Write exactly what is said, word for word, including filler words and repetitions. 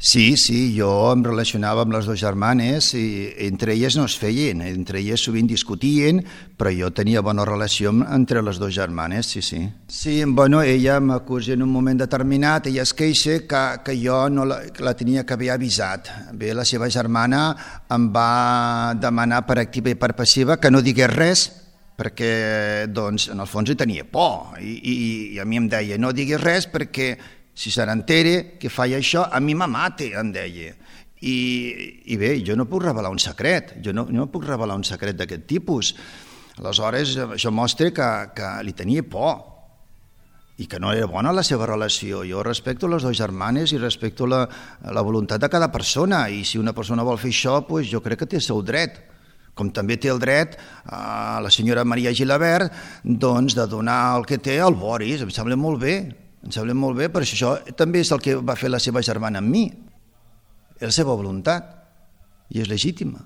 Sí, sí, jo em relacionava amb les dues germanes i entre elles no es feien, entre elles sovint discutien, però jo tenia bona relació entre les dues germanes, sí, sí. Sí, bueno, ella m'acusa en un moment determinat, ella es queixa que, que jo no la, que la tenia que haver avisat. Bé, la seva germana em va demanar per activa i per passiva que no digués res, perquè doncs, en el fons hi tenia por i, i, i a mi em deia no diguis res perquè si se n'entere que faig això, a mi me mate, em deia. I, i bé, jo no puc revelar un secret, jo no, no puc revelar un secret d'aquest tipus. Aleshores, això mostra que, que li tenia por i que no era bona la seva relació. Jo respecto les dues germanes i respecto la, la voluntat de cada persona, i si una persona vol fer això, doncs jo crec que té el seu dret. Com també té el dret a la senyora Maria Gilabert doncs, de donar el que té al Boris. Em sembla molt bé. Em sembla molt bé, però això també és el que va fer la seva germana amb mi. És la seva voluntat i és legítima.